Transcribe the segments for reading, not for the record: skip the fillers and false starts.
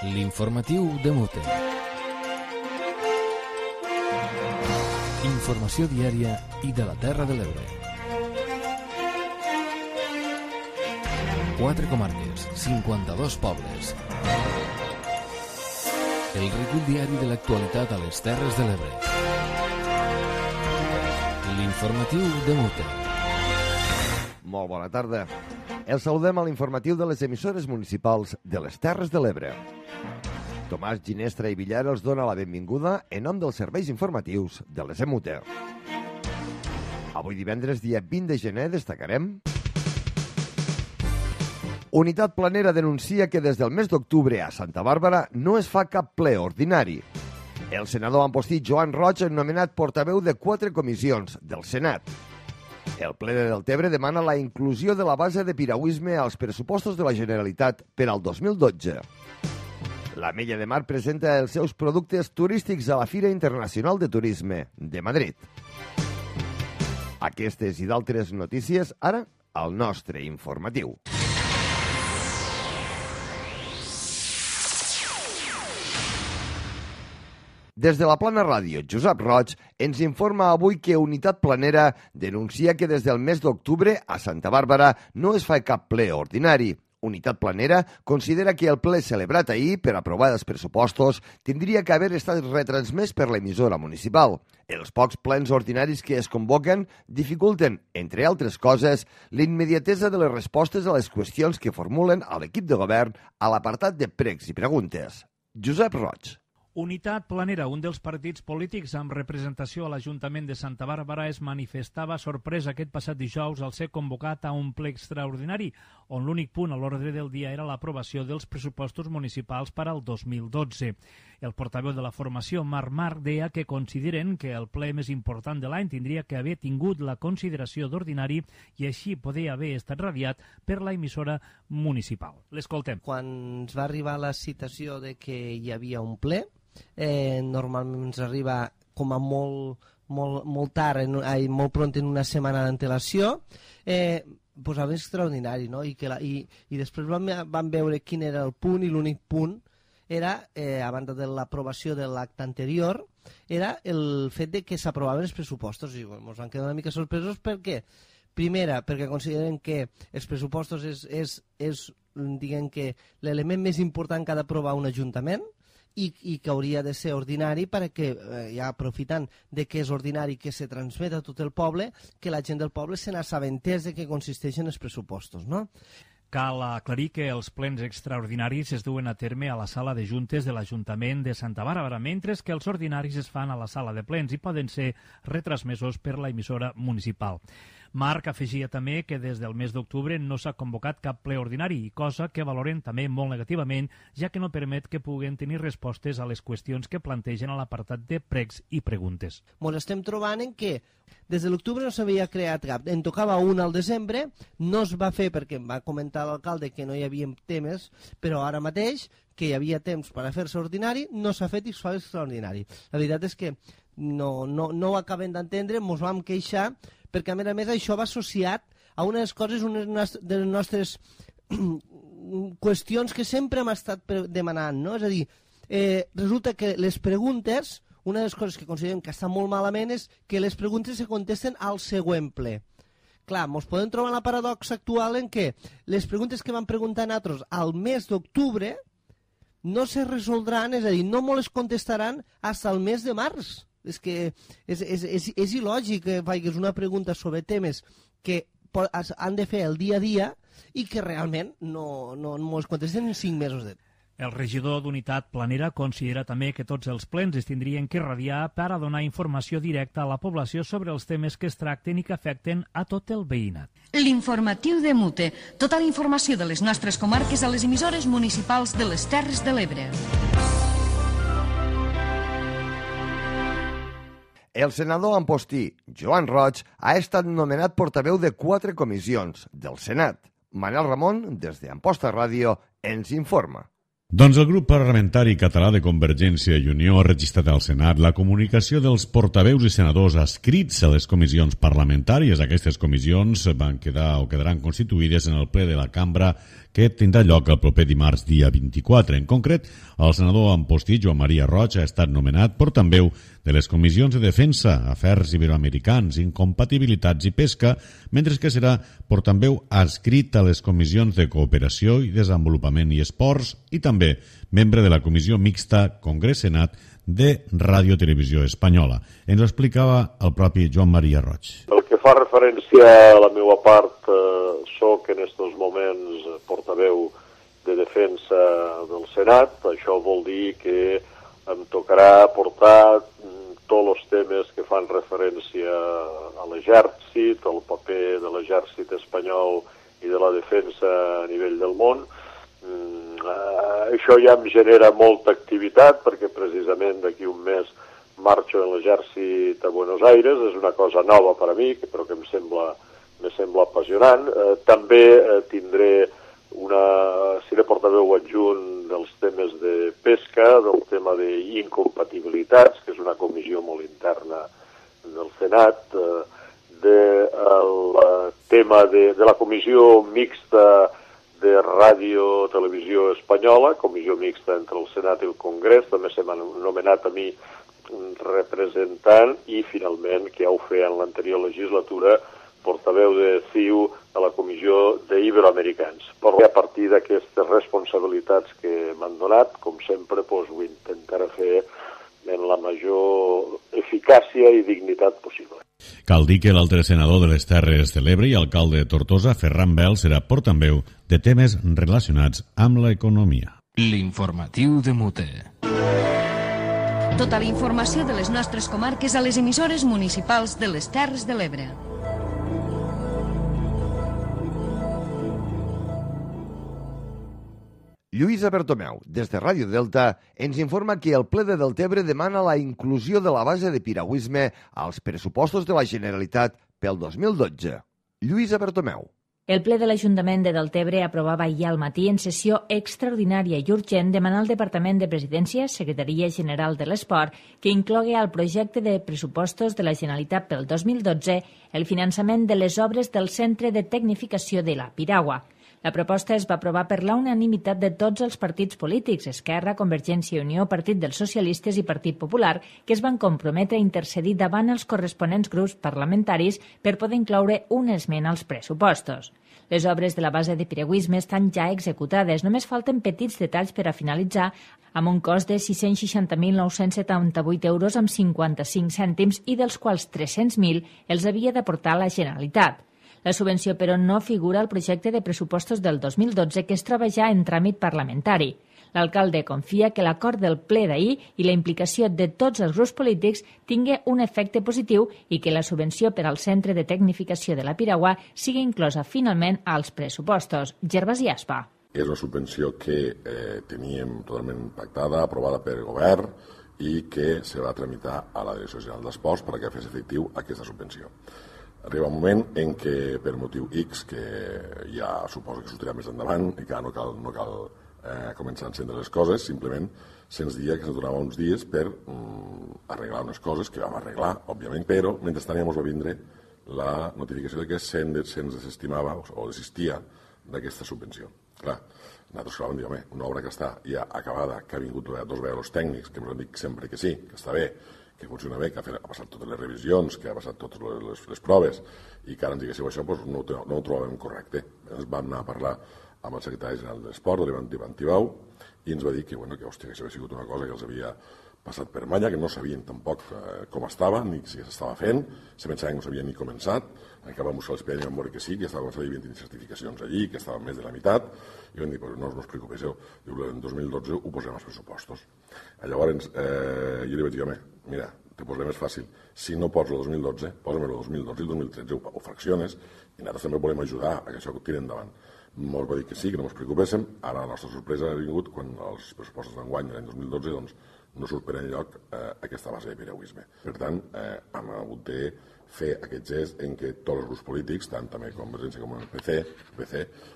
L'informatiu de Mute. Informació diària i de la Terra de l'Ebre. 4 comarques, 52 pobles. El recull diari de l'actualitat a les Terres de l'Ebre. L'informatiu de Mute. Molt bona tarda. El saludem a l'informatiu de les emissores municipals de les Terres de l'Ebre. Tomàs Ginestra i Villar els dona la benvinguda en nom dels serveis informatius de les EMUTE. Avui divendres, dia 20 de gener, destacarem: Unitat Planera denuncia que des del mes d'octubre a Santa Bàrbara no es fa cap ple ordinari. El senador amposti Joan Roig ha nomenat portaveu de 4 comissions del Senat. El ple de Deltebre demana la inclusió de la base de piragüisme als pressupostos de la Generalitat per al 2012. L'Ametlla de Mar presenta els seus productes turístics a la Fira Internacional de Turisme de Madrid. Aquestes i d'altres notícies, ara, al nostre informatiu. Des de la Plana Ràdio, Josep Roig ens informa avui que Unitat Planera denuncia que des del mes d'octubre a Santa Bàrbara no es fa cap ple ordinari. Unitat Planera considera que el ple celebrat ahir per aprovar els pressupostos tindria que haver estat retransmès per l'emissora municipal. Els pocs plens ordinaris que es convoquen dificulten, entre altres coses, l'immediatesa de les respostes a les qüestions que formulen a l'equip de govern a l'apartat de pregs i preguntes. Josep Roig. Unitat Planera, un dels partits polítics amb representació a l'Ajuntament de Santa Bàrbara, es manifestava sorprès aquest passat dijous al ser convocat a un ple extraordinari, on l'únic punt a l'ordre del dia era l'aprovació dels pressupostos municipals per al 2012. El portaveu de la formació, Marc deia que consideren que el ple més important de l'any tindria que haver tingut la consideració d'ordinari i així poder haver estat radiat per la emissora municipal. L'escoltem. Quan ens va arribar la citació de que hi havia un ple, normalment ens arriba com a molt tard, molt pront, en una setmana d'antelació, posava extraordinari, no? I després vam veure quin era el punt, i l'únic punt era, a banda de l'aprovació de l'acte anterior, era el fet de que s'aprovaven els pressupostos, i ens van quedar una mica sorpresos. Per què? Primera, perquè consideren que els pressupostos és diguem que l'element més important que ha d'aprovar un ajuntament, i que hauria de ser ordinari perquè, ja aprofitant de que és ordinari que se transmet a tot el poble, que la gent del poble se n'assabentés de què consisteixen els pressupostos, no? Cal aclarir que els plens extraordinaris es duen a terme a la sala de juntes de l'Ajuntament de Santa Bàrbara, mentre que els ordinaris es fan a la sala de plens i poden ser retransmesos per la emissora municipal. Marc afegia també que des del mes d'octubre no s'ha convocat cap ple ordinari, cosa que valoren també molt negativament, ja que no permet que puguen tenir respostes a les qüestions que plantegen a l'apartat de pregs i preguntes. Ens estem trobant en que des de l'octubre no s'havia creat cap. En tocava un al desembre, no es va fer perquè em va comentar l'alcalde que no hi havia temes, però ara mateix, que hi havia temps per a fer-se ordinari, no s'ha fet i es fa extraordinari. La veritat és que no ho acabem d'entendre, ens vam queixar, perquè a més això va associat a una de les coses, una de les nostres qüestions que sempre hem estat demanant, no? És a dir, resulta que les preguntes, una de les coses que considerem que està molt malament és que les preguntes se contesten al següent ple. Clar, ens podem trobar la paradoxa actual en què les preguntes que van preguntar nosaltres al mes d'octubre no se resoldran, és a dir, no ens les contestaran fins al mes de març. És que és il·lògic que facis una pregunta sobre temes que han de fer el dia a dia i que realment no ens contesten en 5 mesos de temps. El regidor d'Unitat Planera considera també que tots els plens es tindrien que radiar per a donar informació directa a la població sobre els temes que es tracten i que afecten a tot el veïnat. L'informatiu de Mute. Tota la informació de les nostres comarques a les emissores municipals de les Terres de l'Ebre. El senador ampostí Joan Roig ha estat nomenat portaveu de 4 comissions del Senat. Manel Ramon, des d'Amposta Ràdio, ens informa. Doncs el grup parlamentari català de Convergència i Unió ha registrat al Senat la comunicació dels portaveus i senadors adscrits a les comissions parlamentàries. Aquestes comissions van quedar o quedaran constituïdes en el ple de la cambra que tindrà lloc el proper dimarts dia 24. En concret, el senador Amposti, Joan Maria Roig, ha estat nomenat portaveu de les comissions de Defensa, Afers Iberoamericans, Incompatibilitats i Pesca, mentre que serà portaveu adscrit a les comissions de Cooperació i Desenvolupament i Esports i també membre de la Comissió Mixta Congrés-Senat de Ràdio-Televisió Espanyola. Ens ho explicava el propi Joan Maria Roig. Pel que fa referència a la meva part, soc en estos moments portaveu de defensa del Senat. Això vol dir que em tocarà portar tots els temes que fan referència a l'exèrcit, al paper de l'exèrcit espanyol i de la defensa a nivell del món. Això ja em genera molta activitat perquè precisament d'aquí un mes marxo en l'exèrcit a Buenos Aires. És una cosa nova per a mi, però que em sembla apassionant. També seré portaveu adjunt dels temes de pesca, del tema d'incompatibilitats, que és una comissió molt interna del Senat, del tema de la comissió mixta de Ràdio Televisió Espanyola, comissió mixta entre el Senat i el Congrés. També se m'ha nomenat a mi representant i finalment, que ja ho feia en l'anterior legislatura, portaveu de CiU a la comissió d'Iberoamericans. Però a partir d'aquestes responsabilitats que m'han donat, com sempre, ho intentaré fer en la major eficàcia i dignitat possible. Cal dir que l'altre senador de les Terres de l'Ebre i alcalde de Tortosa, Ferran Bel, serà portaveu de temes relacionats amb l'economia. L'informatiu de Mute. Tota la informació de les nostres comarques a les emissores municipals de les Terres de l'Ebre. Lluïsa Bertomeu, des de Ràdio Delta, ens informa que el ple de Deltebre demana la inclusió de la base de piragüisme als pressupostos de la Generalitat pel 2012. Lluïsa Bertomeu. El ple de l'Ajuntament de Deltebre aprovava ahir al matí en sessió extraordinària i urgent demanar al Departament de Presidència, Secretaria General de l'Esport, que inclogui al projecte de pressupostos de la Generalitat pel 2012 el finançament de les obres del Centre de Tecnificació de la Piragua. La proposta es va aprovar per la unanimitat de tots els partits polítics, Esquerra, Convergència i Unió, Partit dels Socialistes i Partit Popular, que es van comprometre a intercedir davant els corresponents grups parlamentaris per poder incloure una esmena als pressupostos. Les obres de la base de piragüisme estan ja executades, només falten petits detalls per a finalitzar, amb un cost de 660.978 euros amb 55 cèntims i dels quals 300.000 els havia d'aportar la Generalitat. La subvenció, però, no figura al projecte de pressupostos del 2012 que es troba ja en tràmit parlamentari. L'alcalde confia que l'acord del ple d'ahir i la implicació de tots els grups polítics tingui un efecte positiu i que la subvenció per al Centre de Tecnificació de la Piragua sigui inclosa finalment als pressupostos. Gervasi Aspa. És una subvenció que teníem totalment pactada, aprovada per el govern i que se va tramitar a la Direcció General d'Esports perquè fes efectiu aquesta subvenció. Arriba un moment en què, per motiu X, que ja suposo que sortirà més endavant i que no cal començar a encendre les coses, simplement se'ns dia que se'ns donava uns dies per arreglar unes coses que vam arreglar, òbviament, però mentrestant ja ens va vindre la notificació de que se'ns desestimava o desistia d'aquesta subvenció. Clar, nosaltres vam dir, home, una obra que està ja acabada, que ha vingut dos vegades els tècnics, que ens han dit sempre que sí, que està bé, que funciona bé, que ha passat totes les revisions, que ha passat totes les proves i que ara ens diguéssiu això, doncs no ho trobàvem correcte. Ens vam anar a parlar amb el secretari general de l'Esport, l'Ivan Tibau, i ens va dir que hòstia, que això havia sigut una cosa que els havia passat per malla, que no sabien tampoc com estava, ni si s'estava fent, se pensaven que no s'havia ni començat, encara vam buscar l'expedient i vam veure que sí, que estava començant, hi havia certificacions allí, que estava més de la meitat, i vam dir, no us preocupeu, en 2012 ho posem als pressupostos. Llavors, jo li vaig dir, home, mira, te posaré més fàcil, si no pots el 2012, posa'm el 2012 i el 2013, ho fracciones, i nosaltres també volem ajudar a que això tiri endavant. Molts va dir que sí, que no ens preocupéssim, ara la nostra sorpresa ha vingut quan els pressupostos d'enguany de l'any 2012, doncs, no surt per enlloc aquesta base de piragüisme. Per tant, hem hagut de fer aquest gest en què tots els grups polítics, tant també Convergència com el PC,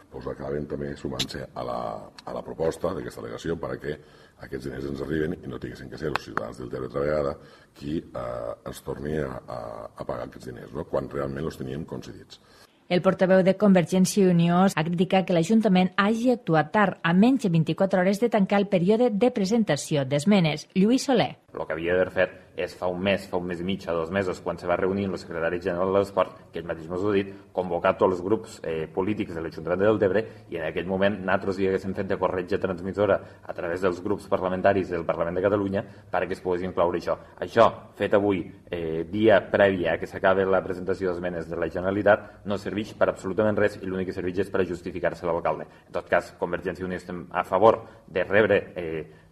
doncs acaben també sumant-se a la proposta d'aquesta al·legació perquè aquests diners ens arriben i no tinguessin que ser els ciutadans del Deltebre altra vegada qui ens torni a pagar aquests diners, no? Quan realment els teníem concedits. El portaveu de Convergència i Unió ha criticat que l'Ajuntament hagi actuat tard, a menys de 24 hores de tancar el període de presentació d'esmenes. Lluís Soler. El que havia d'haver fet és fa un mes i mig, a 2 mesos, quan se va reunir amb el secretari general de l'Esport, que ell mateix m'ho ha dit, convocar tots els grups polítics de l'Ajuntament de Deltebre, i en aquell moment nosaltres hi haguéssim fet de corretja transmissora a través dels grups parlamentaris del Parlament de Catalunya perquè es pogués incloure això. Això, fet avui, dia previ a que s'acabi la presentació d'esmenes de la Generalitat, no serveix per absolutament res i l'únic que serveix és per a justificar-se l'alcalde. En tot cas, Convergència i Unió estem a favor de rebre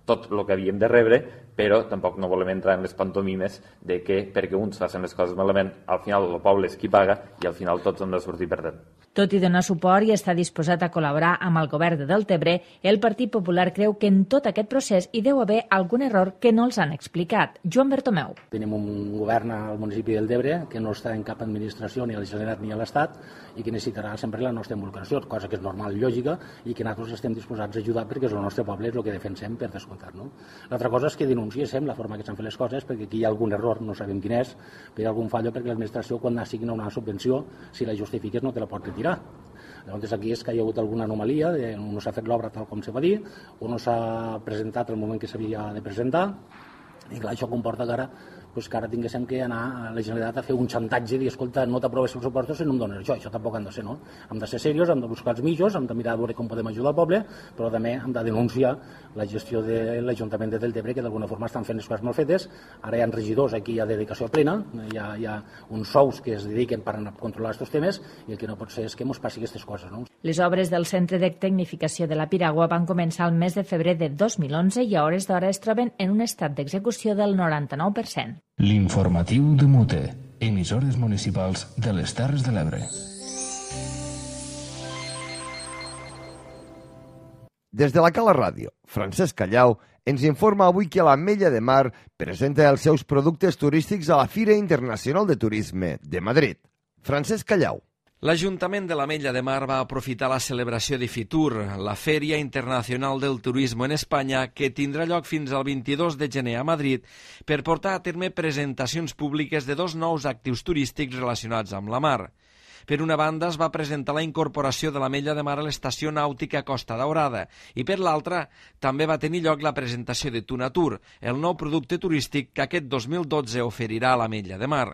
tot el que havíem de rebre, però tampoc no volem entrar en les pantomimes de que perquè uns facin les coses malament, al final el poble és qui paga i al final tots hem de sortir perdent. Tot i donar suport i estar disposat a col·laborar amb el govern de Deltebre, el Partit Popular creu que en tot aquest procés hi deu haver algun error que no els han explicat. Joan Bertomeu. Tenim un govern al municipi de Deltebre que no està en cap administració, ni a la Generalitat ni a l'Estat, i que necessitarà sempre la nostra involucració, cosa que és normal i lògica, i que nosaltres estem disposats a ajudar perquè és el nostre poble, és el que defensem per descomptat. No? L'altra cosa és que denunciéssim la forma que s'han fet les coses, perquè aquí hi ha algun error, no sabem quin és, però hi ha algun fallo perquè l'administració, quan assigna una subvenció, si la justifiques no te la pot retirar. Llavors aquí és que hi ha hagut alguna anomalia, no s'ha fet l'obra tal com se va dir, o no s'ha presentat el moment que s'havia de presentar, i clar, això comporta que ara tinguéssim que anar a la Generalitat a fer un xantatge i dir, escolta, no t'aproves els pressupostos i no em dones això tampoc han de ser, no? Hem de ser serios, hem de buscar els mitjos, hem de mirar a veure com podem ajudar el poble, però també hem de denunciar la gestió de l'Ajuntament de Deltebre, que d'alguna forma estan fent les coses mal fetes. Ara hi ha regidors, aquí hi ha dedicació plena, hi ha uns sous que es dediquen per controlar aquests temes, i el que no pot ser és que ens passi aquestes coses, no? Les obres del Centre de Tecnificació de la Piragua van començar el mes de febrer de 2011 i a hores d'ara es troben en un estat d'execució del 99%. L'informatiu de Mute, emissores municipals de les Terres de l'Ebre. Des de la Cala Ràdio, Francesc Callau ens informa avui que l'Ametlla de Mar presenta els seus productes turístics a la Fira Internacional de Turisme de Madrid. Francesc Callau. L'Ajuntament de l'Ametlla de Mar va aprofitar la celebració de Fitur, la Fèria Internacional del Turisme en Espanya, que tindrà lloc fins al 22 de gener a Madrid, per portar a terme presentacions públiques de 2 nous actius turístics relacionats amb la mar. Per una banda, es va presentar la incorporació de l'Ametlla de Mar a l'estació nàutica Costa Daurada i, per l'altra, també va tenir lloc la presentació de Tunatur, el nou producte turístic que aquest 2012 oferirà a l'Ametlla de Mar.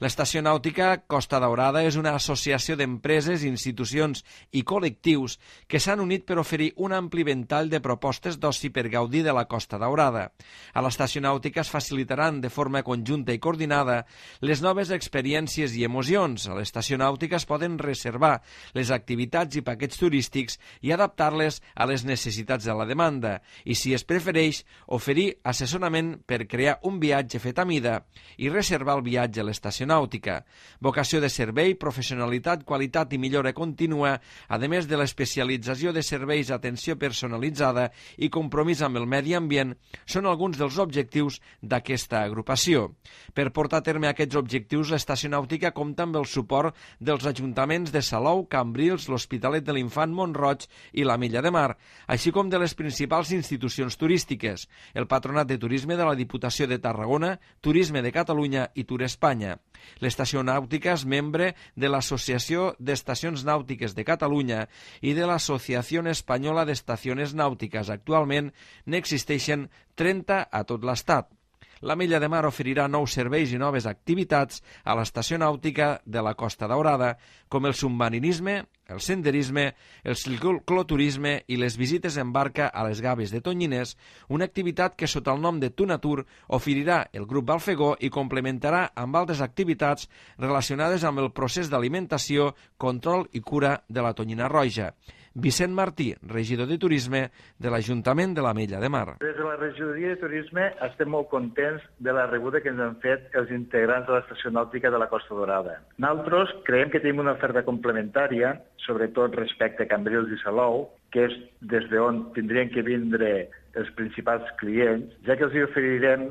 L'estació nàutica Costa Daurada és una associació d'empreses, institucions i col·lectius que s'han unit per oferir un ampli ventall de propostes d'oci per gaudir de la Costa Daurada. A l'estació nàutica es facilitaran de forma conjunta i coordinada les noves experiències i emocions. A l'estació nàutica es poden reservar les activitats i paquets turístics i adaptar-les a les necessitats de la demanda i, si es prefereix, oferir assessorament per crear un viatge fet a mida i reservar el viatge a l'estació nàutica. Vocació de servei, professionalitat, qualitat i millora contínua, a més de l'especialització de serveis d'atenció personalitzada i compromís amb el medi ambient, són alguns dels objectius d'aquesta agrupació. Per portar a terme aquests objectius, l'estació nàutica compta amb el suport dels ajuntaments de Salou, Cambrils, l'Hospitalet de l'Infant, Mont-roig i l'Ametlla de Mar, així com de les principals institucions turístiques, el Patronat de Turisme de la Diputació de Tarragona, Turisme de Catalunya i Tour Espanya. L'estació nàutica és membre de l'Associació d'Estacions Nàutiques de Catalunya i de l'Associació Espanyola d'Estacions Nàutiques. Actualment n'existeixen 30 a tot l'Estat. L'Ametlla de Mar oferirà nous serveis i noves activitats a l'estació nàutica de la Costa Daurada, com el submarinisme, el senderisme, el cicloturisme i les visites en barca a les Gaves de Tonyines, una activitat que sota el nom de Tunatur oferirà el grup Balfegó i complementarà amb altres activitats relacionades amb el procés d'alimentació, control i cura de la tonyina roja. Vicent Martí, regidor de Turisme de l'Ajuntament de l'Ametlla de Mar. Des de la regidoria de Turisme estem molt contents de la rebuda que ens han fet els integrants de l'estació nàutica de la Costa Daurada. Nosaltres creiem que tenim una oferta complementària, sobretot respecte a Cambrils i Salou, que és des d'on tindrien que vindre els principals clients, ja que els hi oferirem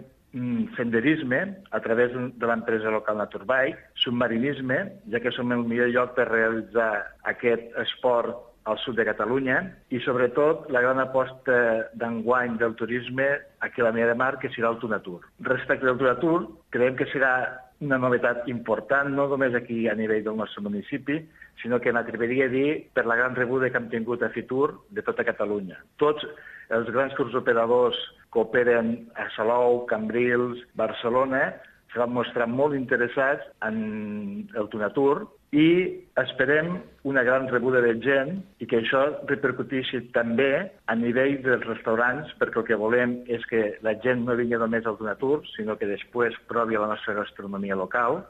senderisme a través de l'empresa local Naturbike, submarinisme, ja que som el millor lloc per realitzar aquest esport al sud de Catalunya, i sobretot la gran aposta d'enguany del turisme aquí a l'Ametlla de Mar, que serà el Tunatur. Respecte del Tunatur, creiem que serà una novetat important, no només aquí a nivell del nostre municipi, sinó que m'atreviria a dir per la gran rebuda que hem tingut a Fitur de tota Catalunya. Tots els grans tours operadors que operen a Salou, Cambrils, Barcelona, se van mostrar molt interessats en el Tunatur i esperem una gran rebuda de gent i que això repercuteixi també a nivell dels restaurants, perquè el que volem és que la gent no vingui només al Tunatur, sinó que després provi la nostra gastronomia local.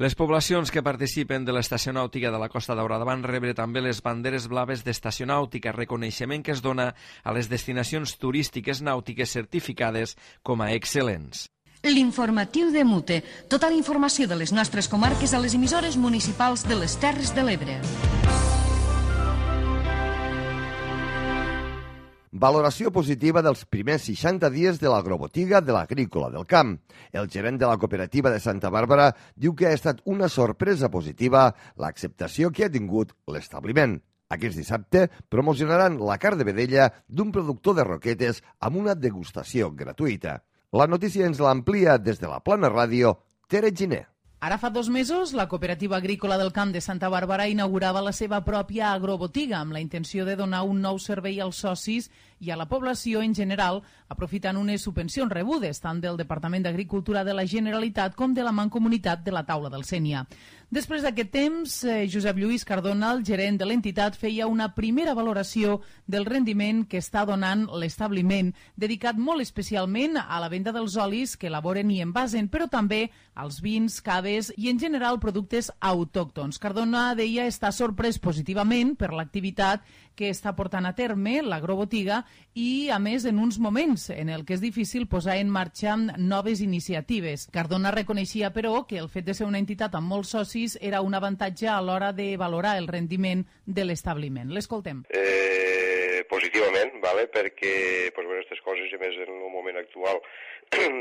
Les poblacions que participen de l'Estació Nàutica de la Costa Daurada van rebre també les banderes blaves d'Estació Nàutica, reconeixement que es dona a les destinacions turístiques nàutiques certificades com a excel·lents. L'informatiu de Mute. Tota la informació de les nostres comarques a les emissores municipals de les Terres de l'Ebre. Valoració positiva dels primers 60 dies de l'agrobotiga de l'Agrícola del Camp. El gerent de la cooperativa de Santa Bàrbara diu que ha estat una sorpresa positiva l'acceptació que ha tingut l'establiment. Aquest dissabte promocionaran la carn de vedella d'un productor de roquetes amb una degustació gratuïta. La notícia ens l'amplia des de la Plana Ràdio, Tere Giner. Ara fa 2 mesos, la Cooperativa Agrícola del Camp de Santa Bàrbara inaugurava la seva pròpia agrobotiga amb la intenció de donar un nou servei als socis i a la població en general, aprofitant unes subvencions rebudes tant del Departament d'Agricultura de la Generalitat com de la Mancomunitat de la Taula del Sénia. Després d'aquest temps, Josep Lluís Cardona, el gerent de l'entitat, feia una primera valoració del rendiment que està donant l'establiment, dedicat molt especialment a la venda dels olis que elaboren i envasen, però també als vins, caves i en general productes autòctons. Cardona deia estar sorprès positivament per l'activitat que està portant a terme l'agrobotiga i, a més, en uns moments en el que és difícil posar en marxa noves iniciatives. Cardona reconeixia, però, que el fet de ser una entitat amb molts socis era un avantatge a l'hora de valorar el rendiment de l'establiment. L'escoltem. Positivament, vale? Perquè aquestes coses, a més en el moment actual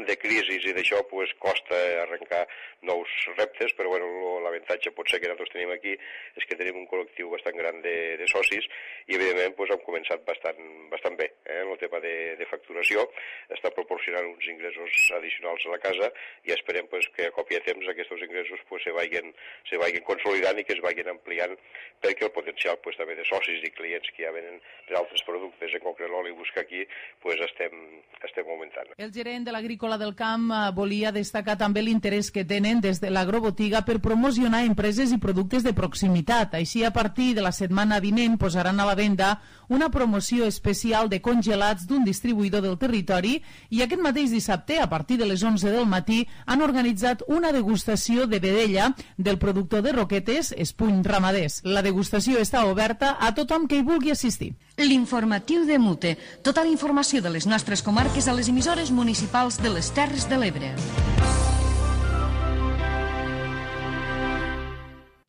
de crisi i d'això, costa arrencar nous reptes, però l'avantatge potser que nosaltres tenim aquí és que tenim un col·lectiu bastant gran de socis i evidentment hem començat bastant bé en el tema de facturació, està proporcionant uns ingressos addicionals a la casa i esperem que a cop i a temps aquests ingressos se vagin consolidant i que es vagin ampliant perquè el potencial també de socis i clients que ja venen per altres productes, en concret l'oli busca aquí, estem augmentant. El gerent de l'Agrícola del Camp volia destacar també l'interès que tenen des de l'agrobotiga per promocionar empreses i productes de proximitat. Així, a partir de la setmana vinent posaran a la venda una promoció especial de congelats d'un distribuïdor del territori i aquest mateix dissabte, a partir de les 11 del matí, han organitzat una degustació de vedella del productor de roquetes, Espuny Ramaders. La degustació està oberta a tothom que hi vulgui assistir. L'informatiu de Mute. Tota la informació de les nostres comarques a les emissores municipals de les Terres de l'Ebre.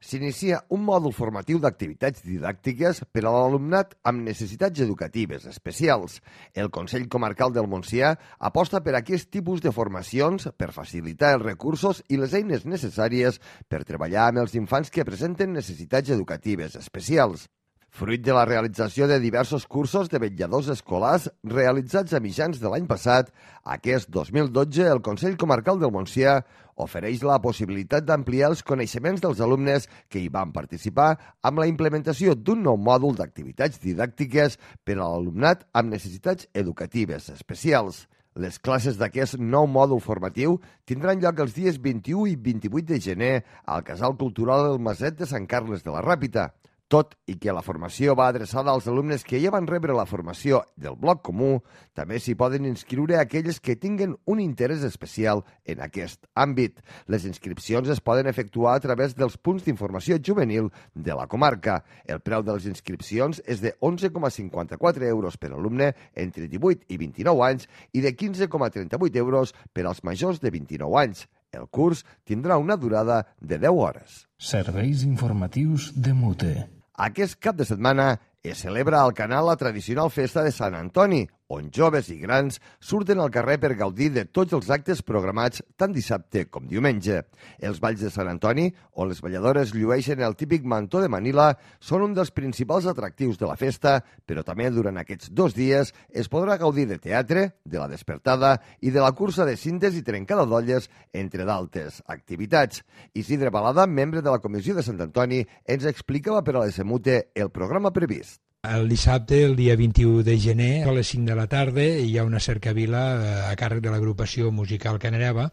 S'inicia un mòdul formatiu d'activitats didàctiques per a l'alumnat amb necessitats educatives especials. El Consell Comarcal del Montsià aposta per aquest tipus de formacions per facilitar els recursos i les eines necessàries per treballar amb els infants que presenten necessitats educatives especials. Fruit de la realització de diversos cursos de vetlladors escolars realitzats a mitjans de l'any passat, aquest 2012 el Consell Comarcal del Montsià ofereix la possibilitat d'ampliar els coneixements dels alumnes que hi van participar amb la implementació d'un nou mòdul d'activitats didàctiques per a l'alumnat amb necessitats educatives especials. Les classes d'aquest nou mòdul formatiu tindran lloc els dies 21 i 28 de gener al Casal Cultural del Maset de Sant Carles de la Ràpita. Tot i que la formació va adreçada als alumnes que ja van rebre la formació del bloc comú, també s'hi poden inscriure aquells que tinguen un interès especial en aquest àmbit. Les inscripcions es poden efectuar a través dels punts d'informació juvenil de la comarca. El preu de les inscripcions és de 11,54 euros per alumne entre 18 i 29 anys i de 15,38 euros per als majors de 29 anys. El curs tindrà una durada de 10 hores. Serveis informatius de Mute. Aquest cap de setmana es celebra al canal la tradicional festa de Sant Antoni, on joves i grans surten al carrer per gaudir de tots els actes programats tant dissabte com diumenge. Els balls de Sant Antoni, on les balladores llueixen el típic mantó de Manila, són un dels principals atractius de la festa, però també durant aquests 2 dies es podrà gaudir de teatre, de la despertada i de la cursa de cintes i trencada d'olles, entre d'altres activitats. Isidre Balada, membre de la Comissió de Sant Antoni, ens explicava per a l'Esemute el programa previst. El dissabte, el dia 21 de gener, a les 5 de la tarda, hi ha una cercavila a càrrec de l'agrupació musical Canereva,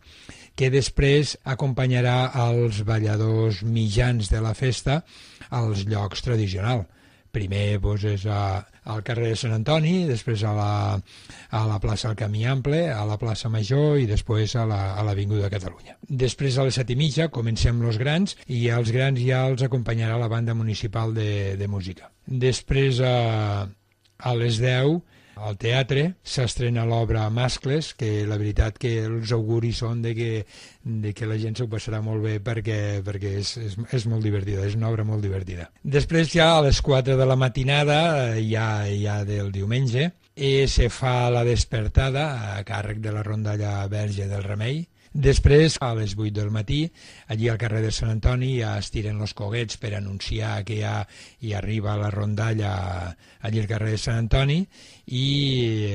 que després acompanyarà els balladors mitjans de la festa als llocs tradicionals. Primer és al carrer de Sant Antoni, després a la plaça del Camí Ample, a la plaça Major i després a l'Avinguda Catalunya. Després a les 7:30 comencem els grans i als grans ja els acompanyarà la banda municipal de música. Després a les 10 al teatre s'estrena l'obra Mascles, que la veritat que els auguris són de que la gent s'ho passarà molt bé perquè és molt divertida, és una obra molt divertida. Després ja a les 4 de la matinada, ja del diumenge, se fa la despertada a càrrec de la rondalla Verge del Remei. Després, a les 8 del matí, allí al carrer de Sant Antoni ja es tiren els coguets per anunciar que ja hi arriba la rondalla allí al carrer de Sant Antoni i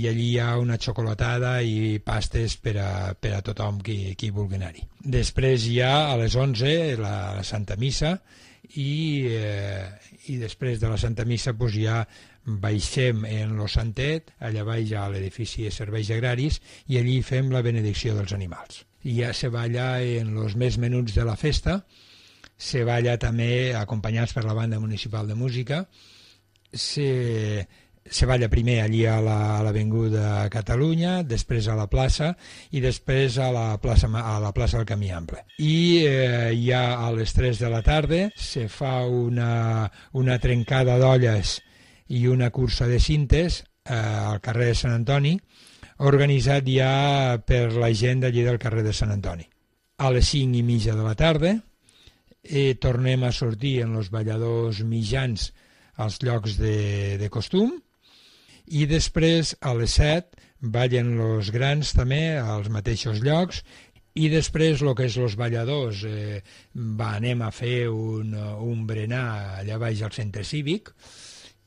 allí hi ha una xocolatada i pastes per a tothom qui vulgui anar-hi. Després ja a les 11 la Santa Missa i després de la Santa Missa ja baixem en lo Santet, allà baix a l'edifici de serveis agraris i allí fem la benedicció dels animals. I ja se balla en els més menuts de la festa, se balla també acompanyats per la banda municipal de música, se balla primer allí a l'Avinguda Catalunya, després a la plaça i després a la plaça del Camí Ample. I ja a les 3 de la tarda se fa una trencada d'olles i una cursa de cintes al carrer de Sant Antoni, organitzat ja per la gent d'allí del carrer de Sant Antoni. A les 5:30 de la tarda tornem a sortir en els balladors mitjans als llocs de costum i després a les 7 ballen els grans també als mateixos llocs i després el que és els balladors anem a fer un berenar allà baix al centre cívic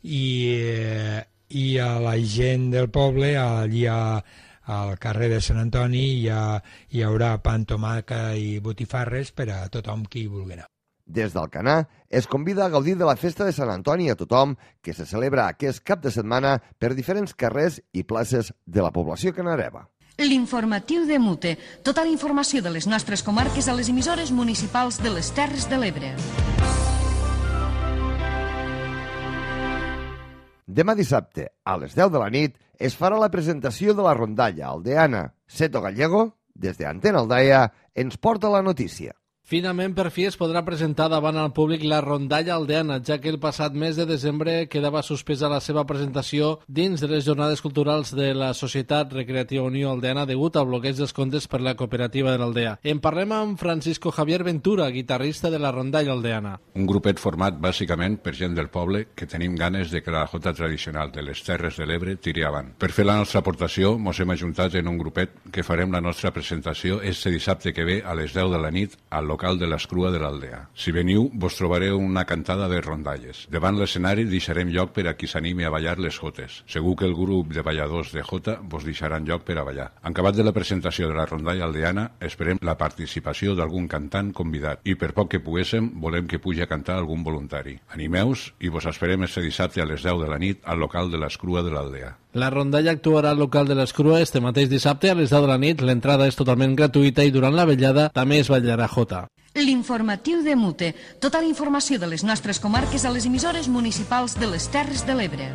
i a la gent del poble allí al carrer de Sant Antoni hi haurà pa amb tomàquet i botifarres per a tothom qui vulgui anar. Des d'Alcanar es convida a gaudir de la festa de Sant Antoni a tothom que se celebra aquest cap de setmana per diferents carrers i places de la població canareva. L'informatiu de Mute. Tota la informació de les nostres comarques a les emissores municipals de les Terres de l'Ebre. Demà dissabte, a les 10 de la nit, es farà la presentació de la rondalla aldeana. Seto Gallego, des d'Antena Aldaia, ens porta la notícia. Finalment, per fi, es podrà presentar davant al públic la rondalla aldeana, ja que el passat mes de desembre quedava suspesa la seva presentació dins de les jornades culturals de la Societat Recreativa Unió Aldeana degut al bloqueig dels comptes per la cooperativa de l'Aldea. En parlem amb Francisco Javier Ventura, guitarrista de la rondalla aldeana. Un grupet format bàsicament per gent del poble que tenim ganes de que la jota tradicional de les Terres de l'Ebre tiri avant. Per fer la nostra aportació, mos hem ajuntat en un grupet que farem la nostra presentació este dissabte que ve a les 10 de la nit al local de l'Escrua de l'Aldea. Si veniu, vos trobareu una cantada de rondalles. Davant l'escenari deixarem lloc per a qui s'animi a ballar les jotes. Segur que el grup de balladors de jota vos deixaran lloc per a ballar. En acabat de la presentació de la rondalla aldeana, esperem la participació d'algun cantant convidat i per poc que poguéssim, volem que pugi a cantar algun voluntari. Animeu-vos i vos esperem este dissabte a les 10 de la nit al local de l'Escrua de l'Aldea. La rondalla actuarà al local de l'Escrua este mateix dissabte a les 10 de la nit. L'entrada és totalment gratuïta i durant la vetllada també es ballarà jota. L'informatiu de Mute. Tota la informació de les nostres comarques a les emissores municipals de les Terres de l'Ebre.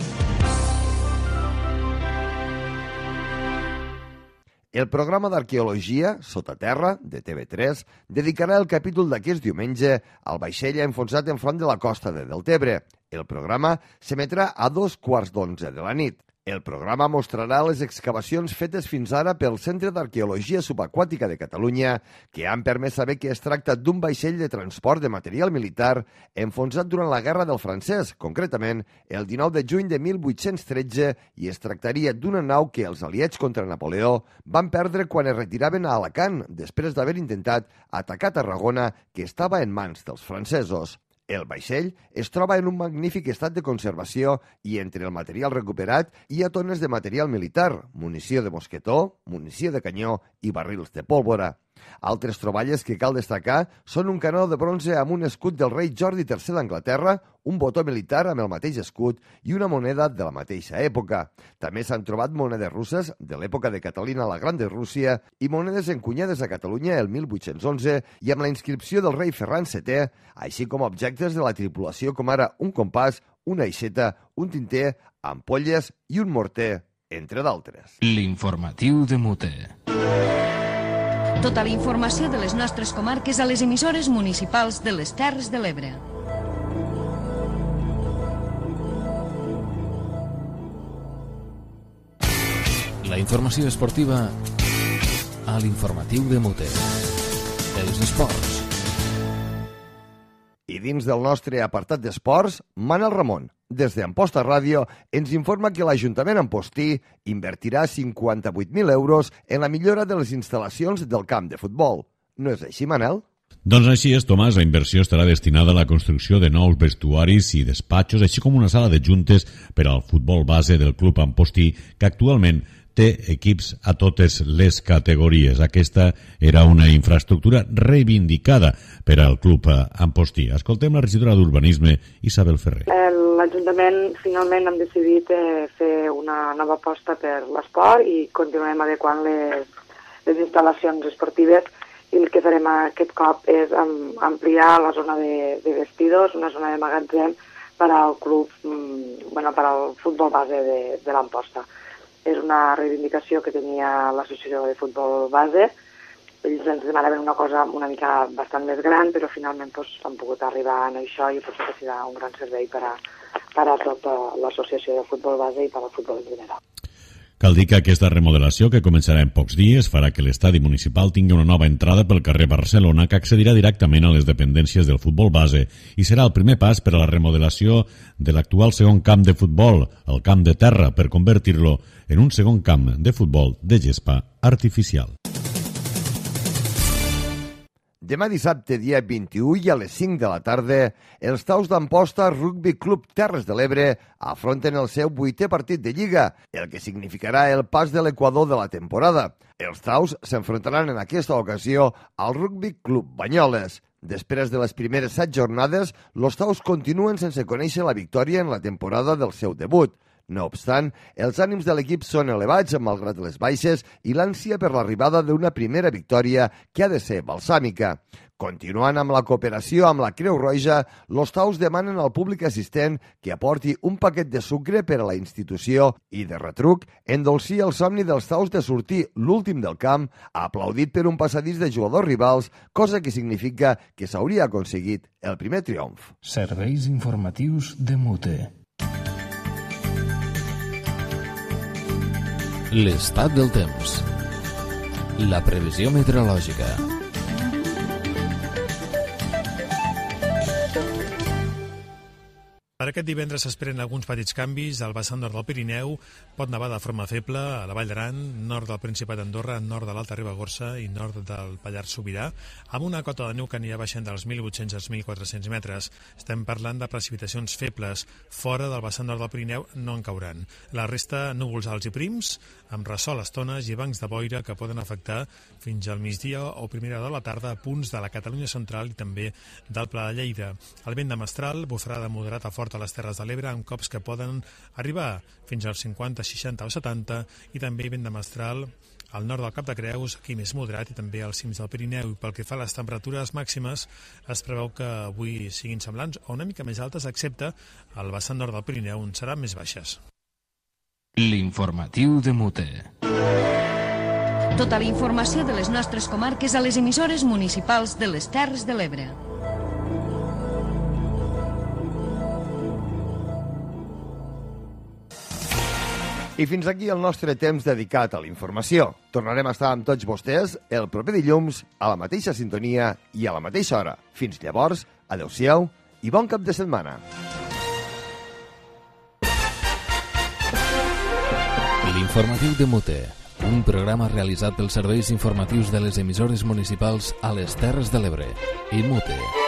El programa d'arqueologia, Sota Terra, de TV3, dedicarà el capítol d'aquest diumenge al vaixell enfonsat enfront de la costa de Deltebre. El programa s'emetrà a 2:15 de la nit. El programa mostrarà les excavacions fetes fins ara pel Centre d'Arqueologia Subaquàtica de Catalunya, que han permès saber que es tracta d'un vaixell de transport de material militar enfonsat durant la Guerra del Francès, concretament el 19 de juny de 1813, i es tractaria d'una nau que els aliats contra Napoleó van perdre quan es retiraven a Alacant, després d'haver intentat atacar Tarragona, que estava en mans dels francesos. El vaixell es troba en un magnífic estat de conservació i entre el material recuperat hi ha tones de material militar, munició de mosquetó, munició de canyó i barrils de pólvora. Altres troballes que cal destacar són un canó de bronze amb un escut del rei Jordi III d'Anglaterra, un botó militar amb el mateix escut i una moneda de la mateixa època. També s'han trobat monedes russes de l'època de Catalina la Gran de Rússia i monedes encunyades a Catalunya el 1811 i amb la inscripció del rei Ferran VII, així com objectes de la tripulació com ara un compàs, una aixeta, un tinter, ampolles i un morter, entre d'altres. L'informatiu de Mute. Tota la informació de les nostres comarques a les emissores municipals de les Terres de l'Ebre. La informació esportiva a l'informatiu de Mute. Els esports. I dins del nostre apartat d'esports, Manel Ramon, des d'Amposta Ràdio, ens informa que l'Ajuntament Ampostí invertirà 58.000 euros en la millora de les instal·lacions del camp de futbol. No és així, Manel? Doncs així és, Tomàs. La inversió estarà destinada a la construcció de nous vestuaris i despatxos, així com una sala de juntes per al futbol base del club Ampostí, que actualment té equips a totes les categories. Aquesta era una infraestructura reivindicada per al club Ampostí. Escoltem la regidora d'Urbanisme, Isabel Ferrer. L'Ajuntament finalment hem decidit fer una nova aposta per l'esport i continuem adequant les instal·lacions esportives, i el que farem aquest cop és ampliar la zona de vestidors, una zona de magatzem per al club, per al futbol base de l'Amposta. És una reivindicació que tenia l'associació de futbol base. Ells ens demanaven una cosa una mica bastant més gran, però finalment han pogut arribar a això i potser que serà un gran servei per a tota l'associació de futbol base i per al futbol en general. Cal dir que aquesta remodelació, que començarà en pocs dies, farà que l'estadi municipal tingui una nova entrada pel carrer Barcelona que accedirà directament a les dependències del futbol base i serà el primer pas per a la remodelació de l'actual segon camp de futbol, el camp de terra, per convertir-lo en un segon camp de futbol de gespa artificial. Demà dissabte, dia 21 i a les 5 de la tarda, els Taus d'Amposta Rugby Club Terres de l'Ebre afronten el seu 8è partit de Lliga, el que significarà el pas de l'equador de la temporada. Els Taus s'enfrontaran en aquesta ocasió al Rugby Club Banyoles. Després de les primeres 7 jornades, els Taus continuen sense conèixer la victòria en la temporada del seu debut. No obstant, els ànims de l'equip són elevats malgrat les baixes i l'ànsia per l'arribada d'una primera victòria que ha de ser balsàmica. Continuant amb la cooperació amb la Creu Roja, els Taus demanen al públic assistent que aporti un paquet de sucre per a la institució i, de retruc, endolci el somni dels Taus de sortir l'últim del camp, aplaudit per un passadís de jugadors rivals, cosa que significa que s'hauria aconseguit el primer triomf. Serveis informatius de Mute. L'estat del temps. La previsió meteorològica. Per aquest divendres s'esperen alguns petits canvis. Al vessant nord del Pirineu pot nevar de forma feble a la Vall d'Aran, nord del Principat d'Andorra, nord de l'Alta Ribagorça i nord del Pallars Sobirà, amb una cota de neu que anirà baixant dels 1.800 als 1.400 metres. Estem parlant de precipitacions febles. Fora del vessant nord del Pirineu no en cauran. La resta, núvols alts i prims, amb ressol a estones i bancs de boira que poden afectar fins al migdia o primera hora de la tarda a punts de la Catalunya central i també del Pla de Lleida. El vent de mestral bufarà de moderat a fort a les Terres de l'Ebre amb cops que poden arribar fins als 50, 60 o 70 i també vent de mestral al nord del Cap de Creus, aquí més moderat, i també als cims del Pirineu. I pel que fa a les temperatures màximes, es preveu que avui siguin semblants o una mica més altes, excepte al vessant nord del Pirineu, on seran més baixes. L'informatiu de Mute. Tota la informació de les nostres comarques a les emissores municipals de les Terres de l'Ebre. I fins aquí el nostre temps dedicat a la informació. Tornarem a estar amb tots vostès el proper dilluns a la mateixa sintonia i a la mateixa hora. Fins llavors, adeu-siau i bon cap de setmana. L'informatiu de Mute, un programa realitzat pels serveis informatius de les emissores municipals a les Terres de l'Ebre i Mute.